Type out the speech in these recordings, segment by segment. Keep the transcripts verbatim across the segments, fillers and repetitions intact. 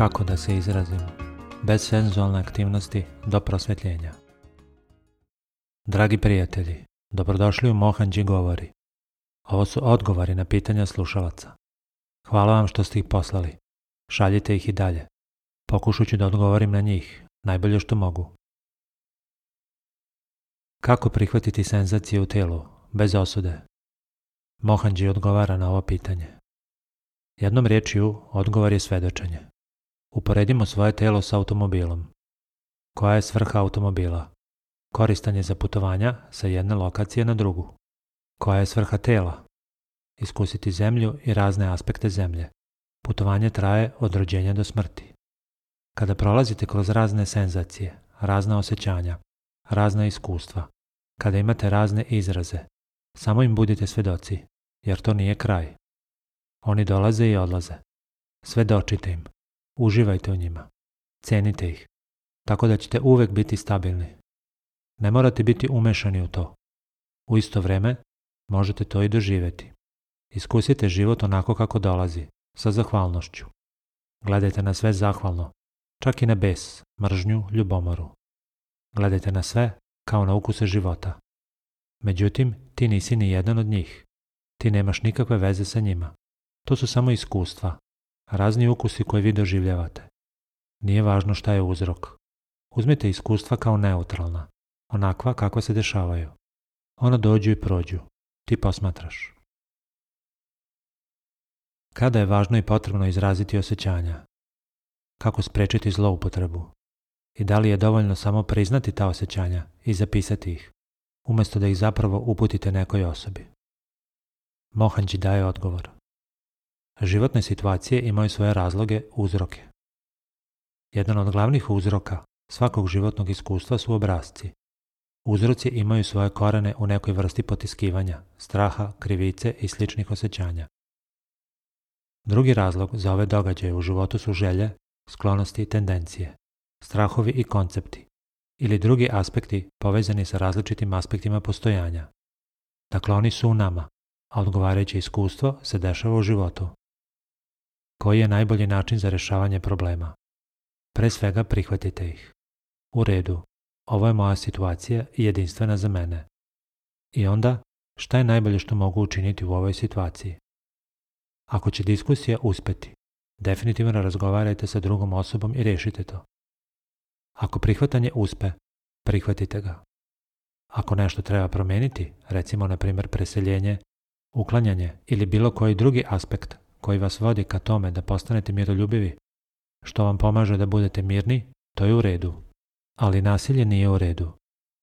Kako da se izrazim, bez senzualne aktivnosti do prosvjetljenja. Dragi prijatelji, dobrodošli u Mohanji govori. Ovo su odgovori na pitanja slušalaca. Hvala vam što ste ih poslali. Šaljite ih i dalje. Pokušat ću da odgovorim na njih, najbolje što mogu. Kako prihvatiti senzacije u tijelu, bez osude? Mohanji odgovara na ovo pitanje. Jednom riječju, odgovor je svedočenje. Uporedimo svoje tijelo s automobilom. Koja je svrha automobila? Koristan je za putovanja sa jedne lokacije na drugu. Koja je svrha tijela? Iskusiti zemlju i razne aspekte zemlje. Putovanje traje od rođenja do smrti. Kada prolazite kroz razne senzacije, razna osjećanja, razna iskustva, kada imate razne izraze, samo im budite svedoci, jer to nije kraj. Oni dolaze i odlaze. Svedočite im. Uživajte u njima. Cenite ih. Tako da ćete uvek biti stabilni. Ne morate biti umešani u to. U isto vrijeme možete to i doživjeti. Iskusite život onako kako dolazi, sa zahvalnošću. Gledajte na sve zahvalno, čak i na bes, mržnju, ljubomoru. Gledajte na sve kao na ukuse života. Međutim, ti nisi ni jedan od njih. Ti nemaš nikakve veze sa njima. To su samo iskustva, razni ukusi koje vi doživljavate. Nije važno šta je uzrok. Uzmite iskustva kao neutralna, onakva kakva se dešavaju. Ona dođu i prođu. Ti posmatraš. Kada je važno i potrebno izraziti osjećanja? Kako spriječiti zloupotrebu? I da li je dovoljno samo priznati ta osjećanja i zapisati ih, umjesto da ih zapravo uputite nekoj osobi? Mohanji daje odgovor. Životne situacije imaju svoje razloge, uzroke. Jedan od glavnih uzroka svakog životnog iskustva su obrasci. Uzroci imaju svoje korene u nekoj vrsti potiskivanja, straha, krivice i sličnih osjećanja. Drugi razlog za ove događaje u životu su želje, sklonosti i tendencije, strahovi i koncepti, ili drugi aspekti povezani sa različitim aspektima postojanja. Dakle, oni su u nama, a odgovarajuće iskustvo se dešava u životu. Koji je najbolji način za rješavanje problema? Pre svega prihvatite ih. U redu, ovo je moja situacija i jedinstvena za mene. I onda, šta je najbolje što mogu učiniti u ovoj situaciji? Ako će diskusija uspjeti, definitivno razgovarajte sa drugom osobom i riješite to. Ako prihvatanje uspe, prihvatite ga. Ako nešto treba promijeniti, recimo na primjer preseljenje, uklanjanje ili bilo koji drugi aspekt koji vas vodi ka tome da postanete miroljubivi, što vam pomaže da budete mirni, to je u redu. Ali nasilje nije u redu.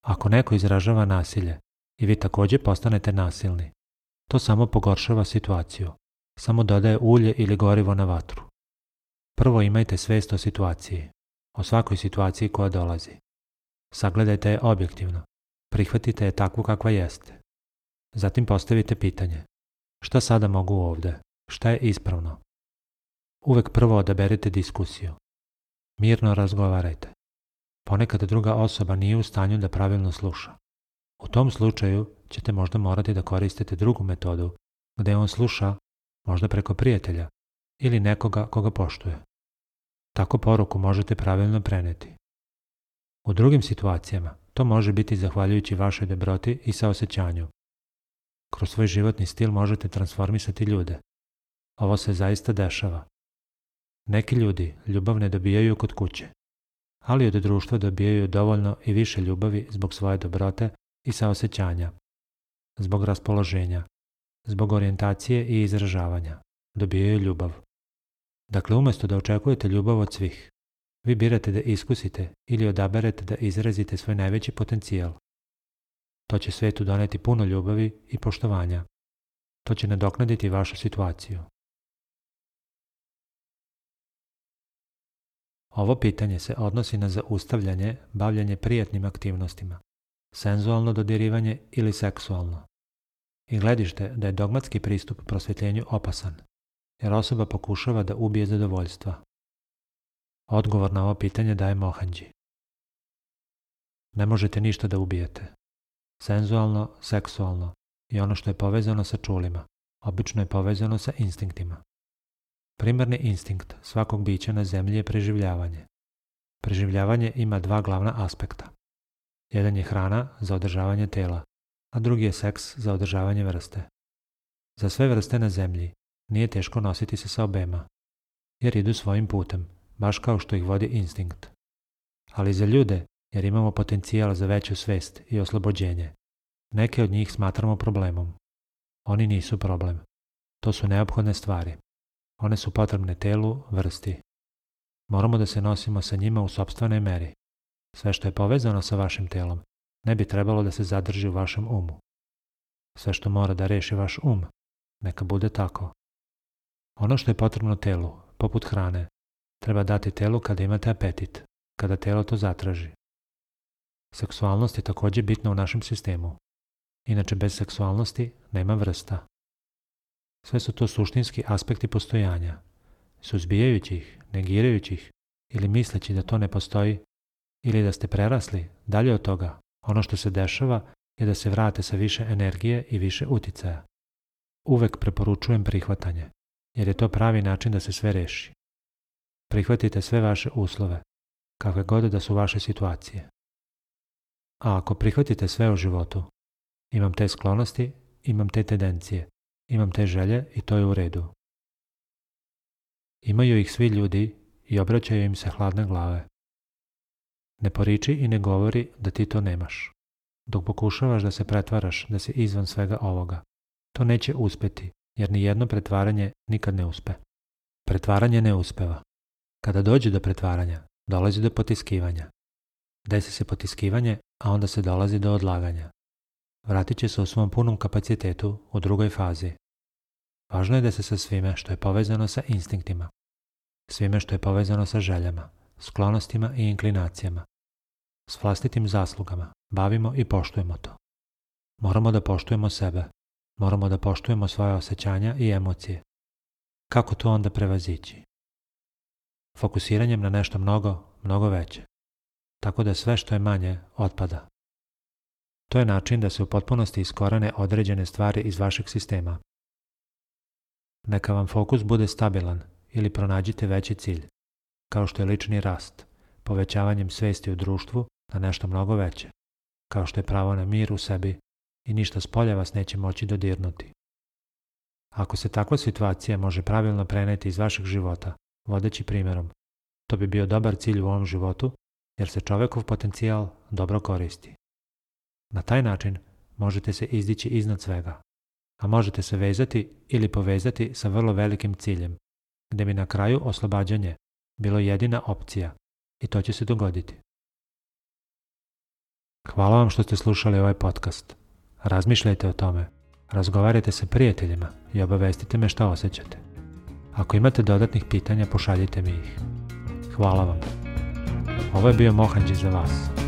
Ako neko izražava nasilje i vi također postanete nasilni, to samo pogoršava situaciju, samo dodaje ulje ili gorivo na vatru. Prvo imajte svijest o situaciji, o svakoj situaciji koja dolazi. Sagledajte je objektivno, prihvatite je takvu kakva jeste. Zatim postavite pitanje, šta sada mogu ovdje? Šta je ispravno? Uvek prvo odaberite diskusiju. Mirno razgovarajte. Ponekad druga osoba nije u stanju da pravilno sluša. U tom slučaju ćete možda morati da koristite drugu metodu, gdje on sluša, možda preko prijatelja ili nekoga koga poštuje. Tako poruku možete pravilno preneti. U drugim situacijama to može biti zahvaljujući vašoj dobroti i saosjećanju. Kroz svoj životni stil možete transformisati ljude. Ovo se zaista dešava. Neki ljudi ljubav ne dobijaju kod kuće, ali od društva dobijaju dovoljno i više ljubavi zbog svoje dobrote i saosjećanja, zbog raspoloženja, zbog orijentacije i izražavanja. Dobijaju ljubav. Dakle, umjesto da očekujete ljubav od svih, vi birate da iskusite ili odaberete da izrazite svoj najveći potencijal. To će svijetu doneti puno ljubavi i poštovanja. To će nadoknaditi vašu situaciju. Ovo pitanje se odnosi na zaustavljanje, bavljanje prijatnim aktivnostima, senzualno dodirivanje ili seksualno. I gledište da je dogmatski pristup prosvjetljenju opasan, jer osoba pokušava da ubije zadovoljstva. Odgovor na ovo pitanje daje Mohanji. Ne možete ništa da ubijete. Senzualno, seksualno i ono što je povezano sa čulima, obično je povezano sa instinktima. Primarni instinkt svakog bića na zemlji je preživljavanje. Preživljavanje ima dva glavna aspekta. Jedan je hrana za održavanje tela, a drugi je seks za održavanje vrste. Za sve vrste na zemlji nije teško nositi se sa obema, jer idu svojim putem, baš kao što ih vodi instinkt. Ali za ljude, jer imamo potencijal za veću svest i oslobođenje, neke od njih smatramo problemom. Oni nisu problem. To su neophodne stvari. One su potrebne telu, vrsti. Moramo da se nosimo sa njima u sopstvenoj meri. Sve što je povezano sa vašim telom ne bi trebalo da se zadrži u vašem umu. Sve što mora da reši vaš um, neka bude tako. Ono što je potrebno telu, poput hrane, treba dati telu kada imate apetit, kada telo to zatraži. Seksualnost je također bitna u našem sistemu. Inače, bez seksualnosti nema vrsta. Sve su to suštinski aspekti postojanja. Suzbijajući ih, negirajući ih ili misleći da to ne postoji ili da ste prerasli, dalje od toga, ono što se dešava je da se vrate sa više energije i više uticaja. Uvek preporučujem prihvatanje, jer je to pravi način da se sve reši. Prihvatite sve vaše uslove, kakve god da su vaše situacije. A ako prihvatite sve u životu, imam te sklonosti, imam te tendencije, imam te želje i to je u redu. Imaju ih svi ljudi i obraćaju im se hladne glave. Ne poriči i ne govori da ti to nemaš. Dok pokušavaš da se pretvaraš da si izvan svega ovoga, to neće uspeti, jer ni jedno pretvaranje nikad ne uspe. Pretvaranje ne uspeva. Kada dođe do pretvaranja, dolazi do potiskivanja. Desi se potiskivanje, a onda se dolazi do odlaganja. Vratit će se u svom punom kapacitetu u drugoj fazi. Važno je da se sa svime što je povezano sa instinktima, svime što je povezano sa željama, sklonostima i inklinacijama, s vlastitim zaslugama, bavimo i poštujemo to. Moramo da poštujemo sebe, moramo da poštujemo svoje osjećanja i emocije. Kako to onda prevazići? Fokusiranjem na nešto mnogo, mnogo veće, tako da sve što je manje otpada. To je način da se u potpunosti iskorene određene stvari iz vašeg sistema. Neka vam fokus bude stabilan ili pronađite veći cilj, kao što je lični rast, povećavanjem svesti u društvu na nešto mnogo veće, kao što je pravo na mir u sebi i ništa spolja vas neće moći dodirnuti. Ako se takva situacija može pravilno preneti iz vašeg života, vodeći primjerom, to bi bio dobar cilj u ovom životu, jer se čovekov potencijal dobro koristi. Na taj način možete se izdići iznad svega, a možete se vezati ili povezati sa vrlo velikim ciljem, gde bi na kraju oslobađanje bilo jedina opcija i to će se dogoditi. Hvala vam što ste slušali ovaj podcast. Razmišljajte o tome, razgovarajte sa prijateljima i obavestite me šta osjećate. Ako imate dodatnih pitanja, pošaljite mi ih. Hvala vam. Ovo je bio Mohanđi za vas.